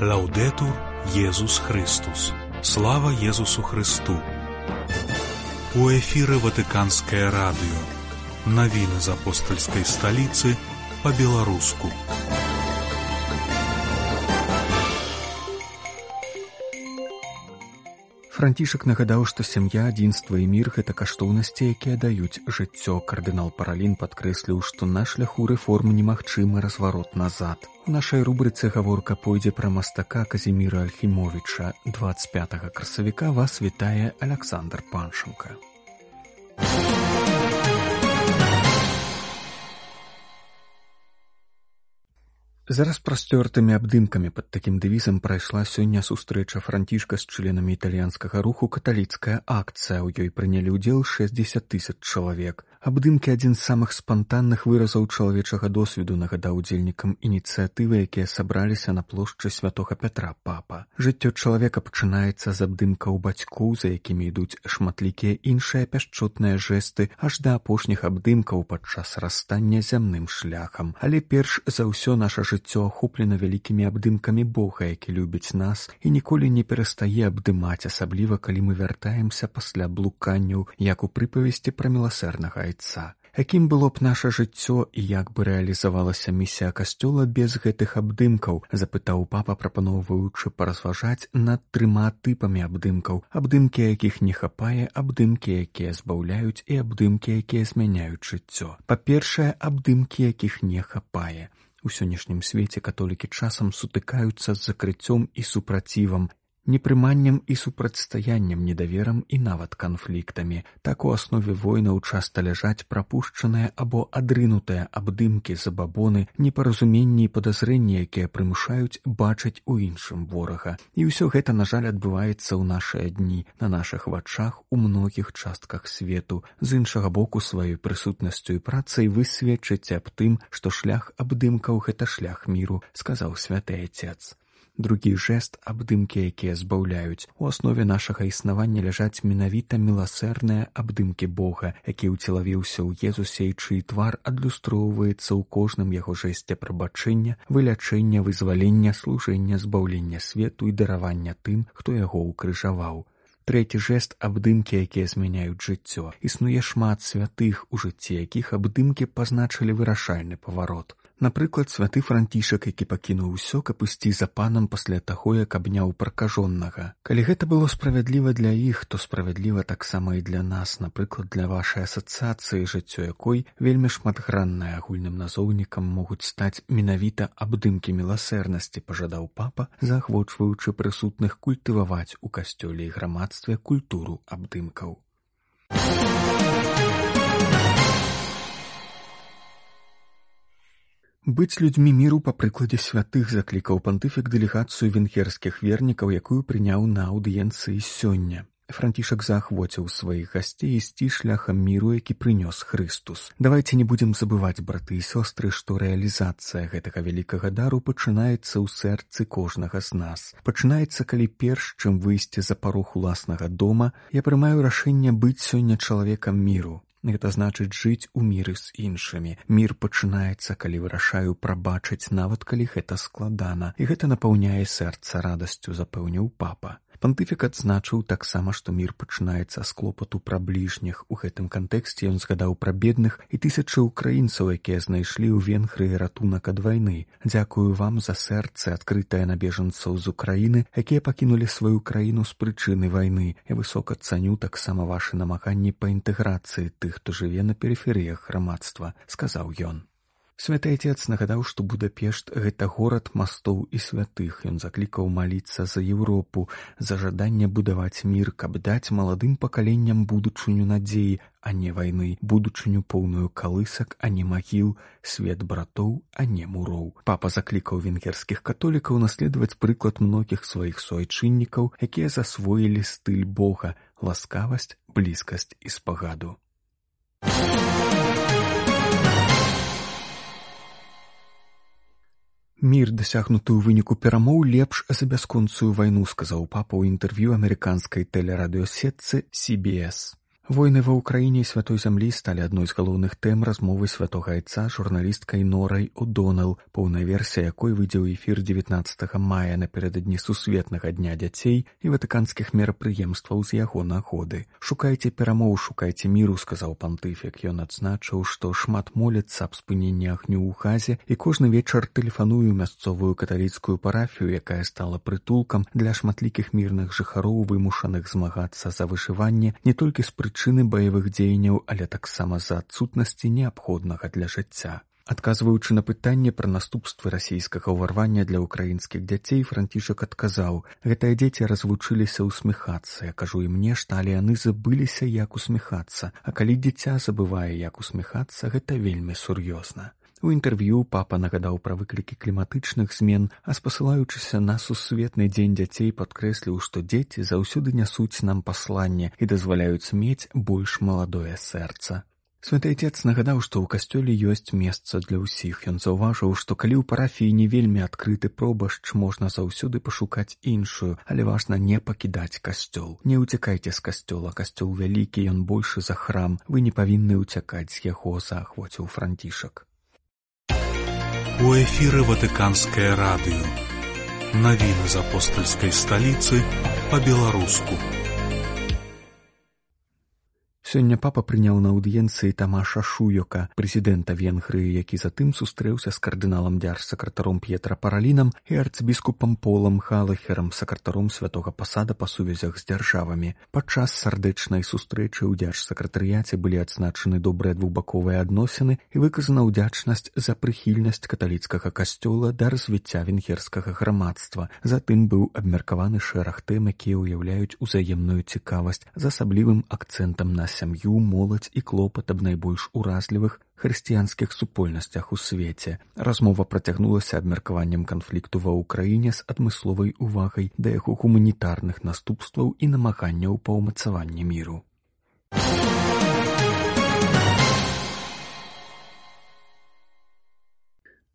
Лаўдэтур Езус Христус. Слава Езусу Христу. У эфіры Ватыканскае радыё. Навіны з апостальскай сталіцы па-беларуску. Францішак нагадаў, што сям'я, адзінства і мір – гэта каштоўнасці, якія даюць жыццё. Кардынал Паралін падкрэсліў, што на шляху рэформ немагчымы разварот назад. У нашай рубрыцы гаворка пойдзе пра мастака Казіміра Альхімовіча. 25 красавіка вас вітае Аляксандр Паншенка. За распрасцёртымі абдымкамі пад такім дэвізам прайшла сёння сустрэча Францішка з членамі італьянскага руху «Каталіцкая акцыя». У ёй прынялі ўдзел 60 000 чалавек. Абдымкі – адзін з самых спантанных выразаў чалавечага досведу, нагадаў удзельнікам ініцыятывы, якія сабраліся на плошчы Святога Пятра папа. Жыццё чалавека пачынаецца з абдымкаў бацькоў, за якімі ідуць шматлікія іншыя пяшчотныя жэсты, аж да апошніх абдымкаў падчас расстання зямным шляхам. Але перш за ўсё наша жыццё ахоплена вялікімі абдымкамі Бога, які любіць нас і ніколі не перастае абдымаць, асабліва калі мы вяртаемся пасля блуканняў, як у прыпавесці пра міласэрнага айца. Якім было б наша жыццё і як бы рэалізавалася місія касцёла без гэтых абдымкаў, запытаў папа, прапаноўваючы паразважаць над 3 тыпамі абдымкаў. Абдымкі, якіх не хапае, абдымкі, якія збаўляюць і абдымкі, якія змяняюць жыццё. Па-першае, абдымкі, якіх не хапае. У сённяшнім свеце католікі часам сутыкаюцца з закрыццём і супрацівам, непрыманнем і супрацьстаяннем, недаверам і нават канфліктамі. Так у аснове войнаў часта ляжаць прапушчаныя або адрынутыя абдымкі, забабоны, непаразуменні і падазрэнні, якія прымушаюць бачыць у іншым ворага. І ўсё гэта, на жаль, адбываецца ў нашыя дні, на нашых вачах у многіх частках свету. З іншага боку, сваёй прысутнасцю і працай вы сведчыце аб тым, што шлях абдымкаў – гэта шлях міру, сказаў святы Айцец. Другі жэст – абдымкі, якія збаўляюць. У аснове нашага існавання ляжаць менавіта міласэрныя абдымкі Бога, які ўцелавіўся ў Езусе і чый твар адлюстроўваецца ў кожным яго жэсце прабачэння, вылячэння, вызвалення, служэння, збаўлення свету і даравання тым, хто яго ўкрыжаваў. Трэці жэст – абдымкі, якія змяняюць жыццё. Існуе шмат святых, у жыцці якіх абдымкі пазначылі вырашальны паварот. Напрыклад, святы Францішак, які пакінуў усё, каб ісці за панам пасля таго, як абняў пракажонага. Калі гэта было справядліва для іх, то справядліва таксама і для нас, напрыклад, для вашай асацыяцыі, жыццё якой вельмі шматграннае. Агульным назоўнікам могуць стаць менавіта абдымкі міласэрнасці, пажадаў папа, заахвочваючы прысутных культываваць у касцёле і грамадстве культуру абдымкаў. Быць людзьмі міру па прыкладзе святых, заклікаў пантыфік дэлегацыю венгерскіх вернікаў, якую прыняў на аўдыенцыі сёння. Францішак заахвоціў сваіх гасцей ісці шляхам міру, які прынёс Хрыстус. Давайце не будзем забываць, браты і сёстры, што рэалізацыя гэтага вялікага дару пачынаецца ў сэрцы кожнага з нас. Пачынаецца, калі перш, чым выйсці за парог уласнага дома, я прымаю рашэнне быць сёння чалавекам міру. Гэта значыць жыць у міры з іншымі. Мір пачынаецца, калі вырашаю прабачыць, нават калі гэта складана. І гэта напаўняе сэрца радасцю, запэўніў папа. Пантыфік адзначыў таксама, што мір пачынаецца з клопату пра бліжніх. У гэтым кантэксце ён згадаў пра бедных і тысячы ўкраінцаў, якія знайшлі ў Венгрыі ратунак ад вайны. Дзякую вам за сэрца, адкрытае на бежанцаў з Украіны, якія пакінулі сваю краіну з прычыны вайны. Я высока цаню таксама вашы намаганні па інтэграцыі тых, хто жыве на перыферыях грамадства, сказаў ён. Святы Айцец нагадаў, што Будапешт – гэта горад мастоў і святых. Ён заклікаў маліцца за Еўропу, за жаданне будаваць мір, каб даць маладым пакаленням будучыню надзеі, а не вайны, будучыню поўную калысак, а не магіл, свет братоў, а не муроў. Папа заклікаў венгерскіх католікаў наследаваць прыклад многіх сваіх суайчыннікаў, якія засвоілі стыль Бога – ласкавасць, блізкасць і спагаду. Мір, дасягнуты ў выніку перамоў, лепш за бясконцую вайну, сказаў папа ў інтэрв'ю амерыканскай тэлерадыёсетцы CBS. Войны ва Ўкраіне і святой зямлі сталі адной з галоўных тэм размовы святога айца журналісткай Норай О'Донэл, поўная версія якой выйдзе ў эфір 19 мая напярэдадні сусветнага дня дзяцей і ватыканскіх мерапрыемстваў з яго нагоды. «Шукайце перамоў, шукайце міру», сказаў пантыфік. Ён адзначыў, што шмат моляцца аб спыненні агню ў Газе і кожны вечар тэлефаную мясцовую каталіцкую парафію, якая стала прытулкам для шматлікіх мірных жыхароў, вымушаных змагацца за выжыванне не толькі з прычыны баявых дзеянняў, але таксама з-за адсутнасці неабходнага для жыцця. Адказваючы на пытанне пра наступствы расійскага ўварвання для ўкраінскіх дзяцей, Францішак адказаў: «Гэтыя дзеці развучыліся ўсміхацца. Я кажу ім нешта, але яны забыліся, як усміхацца. А калі дзіця забывае, як усміхацца, гэта вельмі сур'ёзна». У інтэрв'ю папа нагадаў пра выклікі кліматычных змен, а спасылаючыся на сусветны дзень дзяцей падкрэсліў, што дзеці заўсёды нясуць нам пасланне і дазваляюць мець больш маладое сэрца. Святы Отец нагадаў, што ў касцёле ёсць месца для ўсіх. Ён заўважыў, што калі ў парафіі не вельмі адкрыты пробашч, можна заўсёды пашукаць іншую, але важна не пакідаць касцёл. Не ўцякайце з касцёла, касцёл вялікі, ён большы за храм, вы не павінны ўцякаць з яго, заахвоціў Францішак. У эфіры Ватыканскае радыё. Навіны з апостальскай сталіцы па-беларуску. Сёння папа прыняў на аўдыенцыі Тамаша Шуёка, прэзідэнта Венгрыі, які затым сустрэўся з кардыналам дзяржсакратаром П'етра Паралінам і арцыбіскупам Полам Галахерам, сакратаром святога пасада па сувязях з дзяржавамі. Падчас сардэчнай сустрэчы ў дзяржсакратарыяце былі адзначаны добрыя двухбаковыя адносіны і выказана ўдзячнасць за прыхільнасць каталіцкага касцёла да развіцця венгерскага грамадства. Затым быў абмеркаваны шэраг тэм, якія ўяўляюць узаемную цікавасць з асаблівым акцэнтам на сям'ю, моладзь і клопат аб найбольш уразлівых хрысціянскіх супольнасцях у свеце. Размова працягнулася абмеркаваннем канфлікту ва Ўкраіне з адмысловай увагай да яго гуманітарных наступстваў і намаганняў па ўмацаванні міру.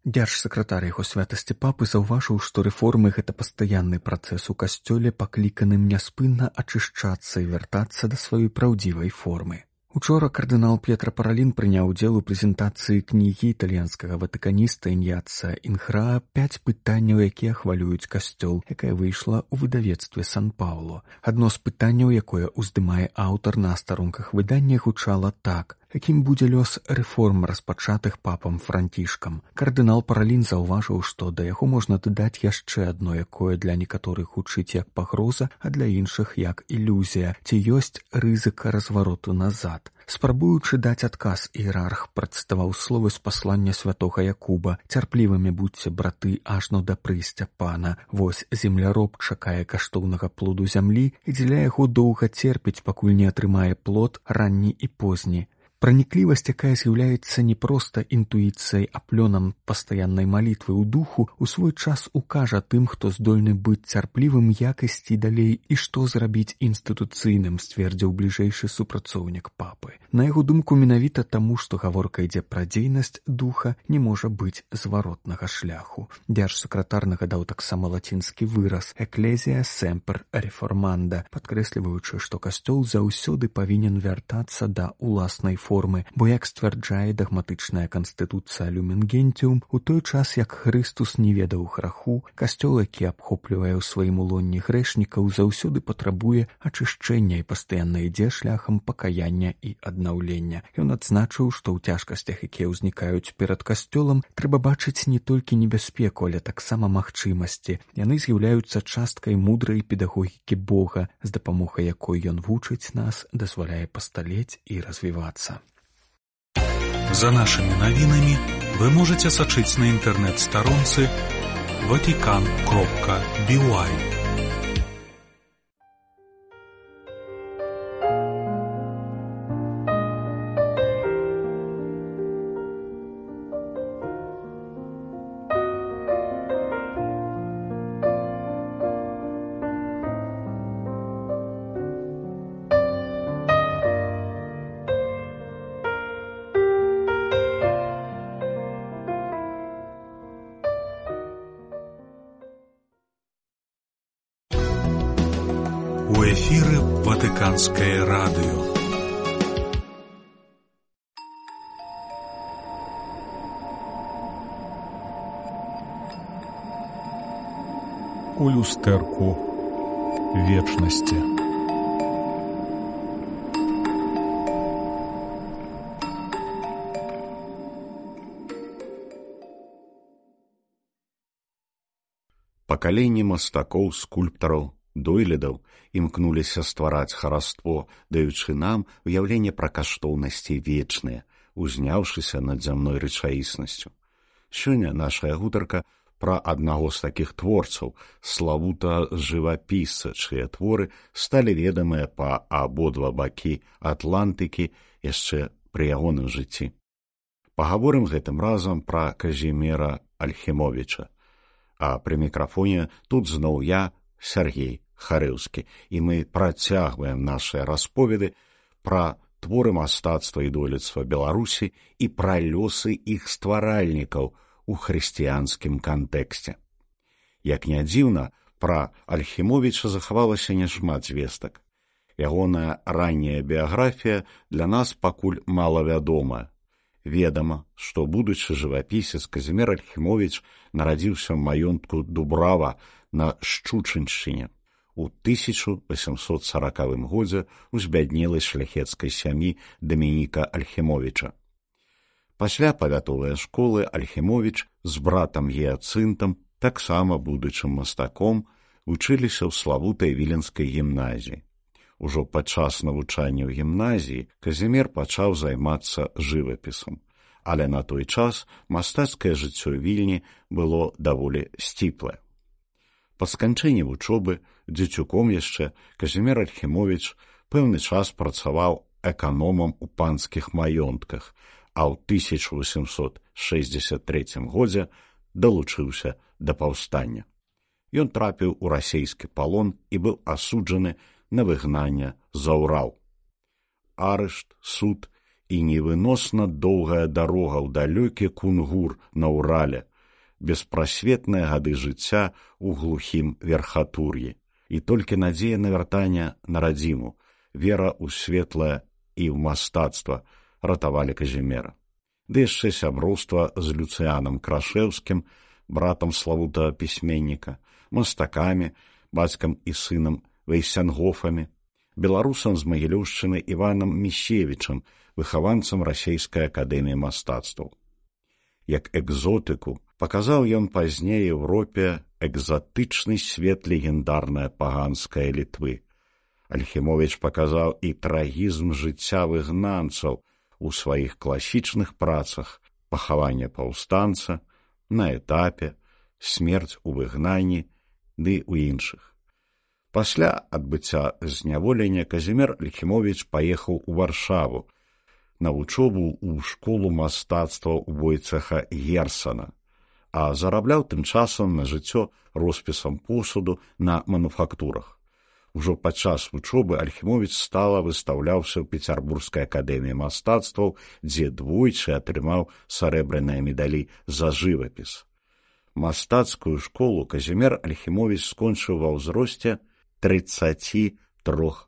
Дзяржсакратар яго святасці папы заўважыў, што рэформы — гэта пастаянны працэс у касцёле, пакліканым няспынна ачышчацца і вяртацца да сваёй праўдзівай формы. Учора кардынал П'етра Паралін прыняў удзел у прэзентацыі кнігі італьянскага ватыканіста Іньяца Інхраа «5 пытанняў, якія хвалююць касцёл», якая выйшла ў выдавецтве Сан-Паўло. Адно з пытанняў, якое ўздымае аўтар на старонках выдання, гучала так: якім будзе лёс рэформ, распачатых папам Францішкам? Кардынал Паралін заўважыў, што да яго можна дадаць яшчэ адно, якое для некаторых гучыць як пагроза, а для іншых як ілюзія. Ці ёсць рызыка развароту назад? Спрабуючы даць адказ, іерарх працытаваў словы з паслання святога Якуба: «Цярплівымі будзьце, браты, ажно да прыйсця пана. Вось земляроб чакае каштоўнага плоду зямлі і дзеля яго доўга церпіць, пакуль не атрымае плод ранні і позні». Праніклівасць, якая з'яўляецца не проста інтуіцыяй, а плёнам пастаяннай малітвы ў духу, у свой час укажа тым, хто здольны быць цярплівым, як ісці далей і што зрабіць інстытуцыйным, сцвердзіў бліжэйшы супрацоўнік папы. На яго думку, менавіта таму, што гаворка ідзе пра дзейнасць духа, не можа быць зваротнага шляху. Дзяржсакратар нагадаў таксама лацінскі выраз «Ecclesia semper reformanda», падкрэсліваючы, што касцёл заўсёды павінен вяртацца да уласнай формы, бо, як сцвярджае дагматычная канстытуцыя Lumen Gentium, у той час, як Хрыстус не ведаў граху, касцёл, які абхоплівае ў сваім улонні грэшнікаў, заўсёды патрабуе ачышчэння і пастаянна ідзе шляхам пакаяння і аднаўлення. Ён адзначыў, што ў цяжкасцях, якія ўзнікаюць перад касцёлам, трэба бачыць не толькі небяспеку, але таксама магчымасці. Яны з'яўляюцца часткай мудрай педагогікі Бога, з дапамогай якой ён вучыць нас, дазваляе пасталець і развівацца. За нашими навінамі вы можете сачыць на інтэрнэт-старонцы vatican.by. У эфіры Ватыканскае радыё. у люстэрку вечнасці. Пакаленні мастакоў, скульптараў, дойлідаў імкнуліся ствараць хараство, даючы нам уяўленне пра каштоўнасці вечныя, узняўшыся над зямной рэчаіснасцю. Сёння нашая гутарка пра аднаго з такіх творцаў, славутага жывапісца, чые творы сталі ведамыя па абодва бакі Атлантыкі яшчэ пры ягоным жыцці. Пагаворым гэтым разам пра Казіміра Альхімовіча. А пры мікрафоне тут зноў я, Сергей Харэўскі, і мы працягваем нашыя расповеды пра творы мастацтва і дойлідства Беларусі і пра лёсы іх стваральнікаў у хрысціянскім кантэксце. Як не дзіўна, пра Альхімовіча захавалася няшмат звестак. Ягоная ранняя біяграфія для нас пакуль малавядомая. Ведама, што будучы жывапісец Казімір Альхімовіч нарадзіўся ў маёнтку Дубрава на Шчучыншчыне у 1840 годзе ў збяднелай шляхецкай сям'і Дамініка Альхімовіча. Пасля павятовай школы Альхімовіч з братам Гіяцынтам, таксама будучым мастаком, вучыліся ў славутай віленскай гімназіі. Ужо падчас навучання ў гімназіі Казімір пачаў займацца жывапісам, але на той час мастацкае жыццё Вільні было даволі сціплае. Па сканчэнні вучобы, дзецюком яшчэ, Казімір Альхімовіч пэўны час працаваў эканомам у панскіх маёнтках, а ў 1863 годзе далучыўся да паўстання. Ён трапіў у расейскі палон і быў асуджаны на выгнанне за Урал. Арышт, суд і невыносна доўгая дарога ў далёкі Кунгур на Урале, беспрасветныя гады жыцця ў глухім верхатур'і. І толькі надзея на вяртанне на радзіму, вера ў светлае і ў мастацтва ратавалі Казіміра. Ды яшчэ сяброўства з Люцыянам Крашэўскім, братам славутага пісьменніка, мастакамі, бацькам і сынам Вейсянгофамі, беларусам з Магілёўшчыны Іванам Міщевічам, выхаванцам Расейскай акадэміі мастацтваў. Як экзотыку паказаў ён пазней Еўропе экзатычны свет легендарнай паганскай Літвы. Альхімовіч паказаў і трагізм жыцця выгнанцаў у сваіх класічных працах «Пахаванне паўстанца», «На этапе», «Смерць у выгнанні» ды ў іншых. Пасля адбыцця зняволення Казімір Альхімовіч паехаў у Варшаву на вучобу ў школу мастацтва Войцеха Герсана, а зарабляў тым часам на жыццё роспісам посуду на мануфактурах. Ужо падчас вучобы Альхімовіч стала выстаўляўся ў Пецярбургскай акадэміі мастацтваў, дзе двойчы атрымаў сарэбраныя медалі за жывапіс. Мастацкую школу Казімір Альхімовіч скончыў ва ўзросце 33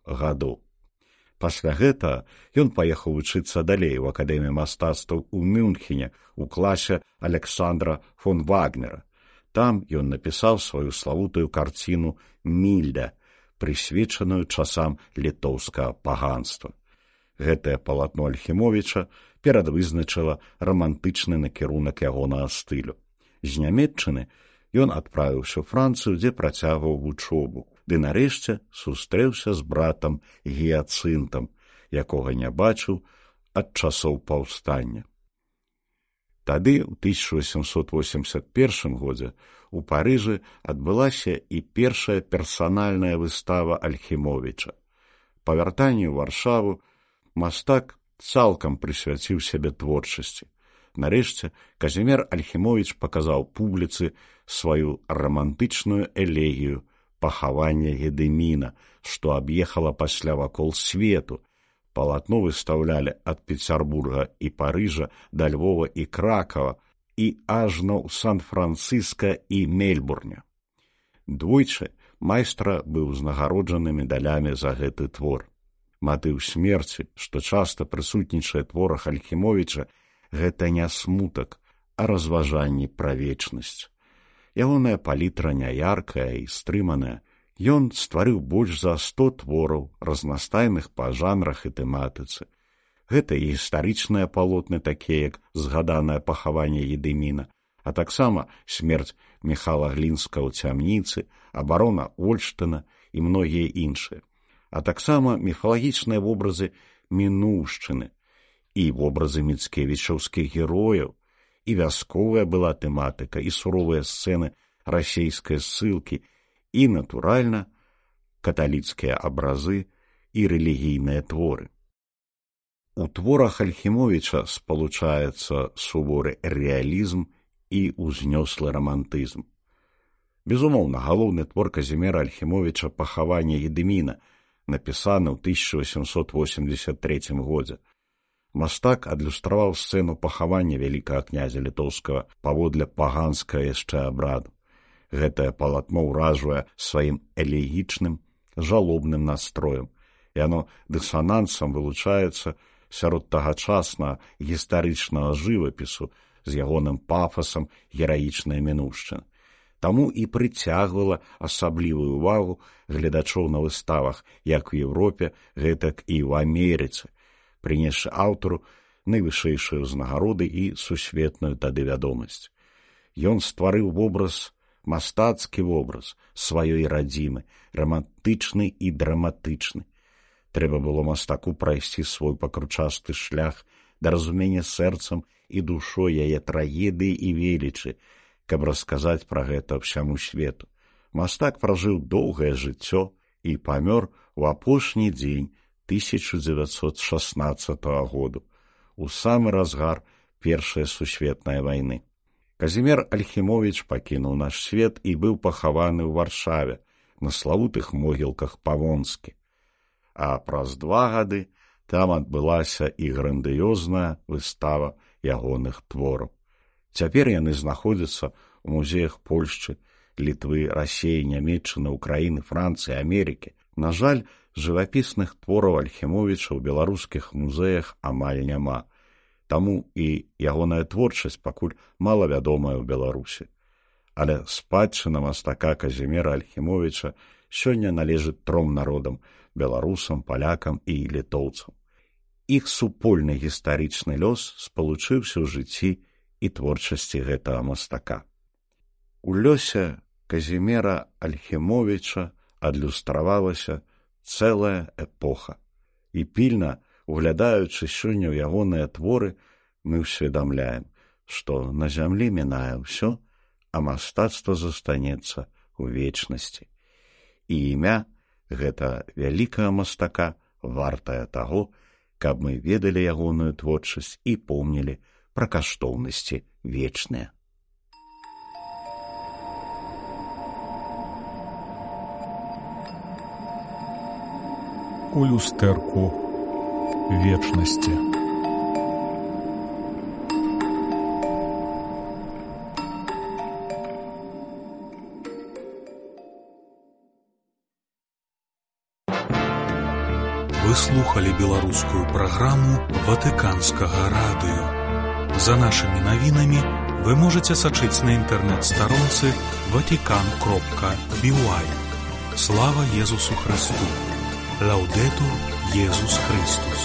гадоў. Пасля гэтага ён паехаў вучыцца далей у акадэміі мастацтваў у Мюнхене у класе Александра фон Вагнера. Там ён напісаў сваю славутую карціну «Мільда», прысвечаную часам літоўскага паганства. Гэтае палатно Альхімовіча перадвызначыла рамантычны накірунак ягонага стылю. З Нямецчыны ён адправіўся ў Францыю, дзе працягваў вучобу, ды нарэшце сустрэўся з братам Гіяцынтам, якога не бачыў ад часоў паўстання. Тады, у 1881 годзе, у Парыжы адбылася і першая персанальная выстава Альхімовіча. Па вяртанні ў Варшаву мастак цалкам прысвяціў сябе творчасці. Нарэшце, Казімір Альхімовіч паказаў публіцы сваю рамантычную элегію «Пахаванне Гедыміна», што аб'ехала пасля вакол свету. Палатно выстаўлялі ад Пецярбурга і Парыжа да Львова і Кракава і ажно ў Сан-Францыска і Мельбурне. Двойчы майстра быў узнагароджаны медалямі за гэты твор. Матыў смерці, што часта прысутнічае творах Альхімовіча, гэта не смутак, а разважанні пра вечнасць. Ягоная палітра няяркая і стрыманая. Ён стварыў больш за 100 твораў, разнастайных па жанрах і тэматыцы. Гэта і гістарычныя палотны, такія як згаданае пахаванне Едыміна, а таксама смерць Міхала Глінска ў цямніцы, абарона Ольштына і многія іншыя, а таксама міфалагічныя вобразы мінуўшчыны і вобразы міцкевічаўскіх герояў, і вясковая была тэматыка, і суровыя сцэны расейскай ссылкі, і, натуральна, каталіцкія абразы і рэлігійныя творы. У творах Альхімовіча спалучаецца суворы рэалізм і ўзнёслы рамантызм. Безумоўна, галоўны твор Казіміра Альхімовіча «Пахаванне Едыміна», напісаны ў 1883 годзе. Мастак адлюстраваў сцэну пахавання вялікага князя літоўскага паводле паганскага яшчэ абраду. Гэтае палатно ўражвае сваім элегічным, жалобным настроем, і яно дысанансам вылучаецца сярод тагачаснага гістарычнага жывапісу з ягоным пафасам гераічнай мінуўшчыны. Таму і прыцягвала асаблівую ўвагу гледачоў на выставах як у Еўропе, гэтак і ў Амерыцы, прынесшы аўтару найвышэйшыя ўзнагароды і сусветную тады вядомасць. Ён стварыў вобраз, мастацкі вобраз сваёй радзімы, рамантычны і драматычны. Трэба было мастаку прайсці свой пакручасты шлях да разумення сэрцам і душой яе трагедыі і велічы, каб расказаць пра гэта ўсяму свету. Мастак пражыў доўгае жыццё і памёр у апошні дзень 1916 году, у самы разгар Першай сусветнай вайны. Казімір Альхімовіч пакінуў наш свет і быў пахаваны ў Варшаве на славутых могілках Павонскі. А праз 2 гады там адбылася і грандыёзная выстава ягоных твораў. Цяпер яны знаходзяцца ў музеях Польшчы, Літвы, Расеі, Нямецчыны, Украіны, Францыі, Амерыкі. На жаль, жывапісных твораў Альхімовіча ў беларускіх музеях амаль няма. Таму і ягоная творчасць пакуль малавядомая ў Беларусі. Але спадчына мастака Казіміра Альхімовіча сёння належыць 3 народам – беларусам, палякам і літоўцам. Іх супольны гістарычны лёс спалучыўся ў жыцці і творчасці гэтага мастака. У лёсе Казіміра Альхімовіча адлюстравалася цэлая эпоха. І пільна, углядаючы сёння ў ягоныя творы, мы ўсведамляем, што на зямлі мінае ўсё, а мастацтва застанецца ў вечнасці. І імя гэта вялікага мастака вартае таго, каб мы ведалі ягоную творчасць і помнілі пра каштоўнасці вечныя. У люстэрку вечнасці. Вы слухали беларускую праграму Ватыканскага радыё. За нашымі навінамі вы можаце сачыць на інтэрнэт-старонцы vatican.by. Слава Езусу Христу! Лаудетур Езус Христус!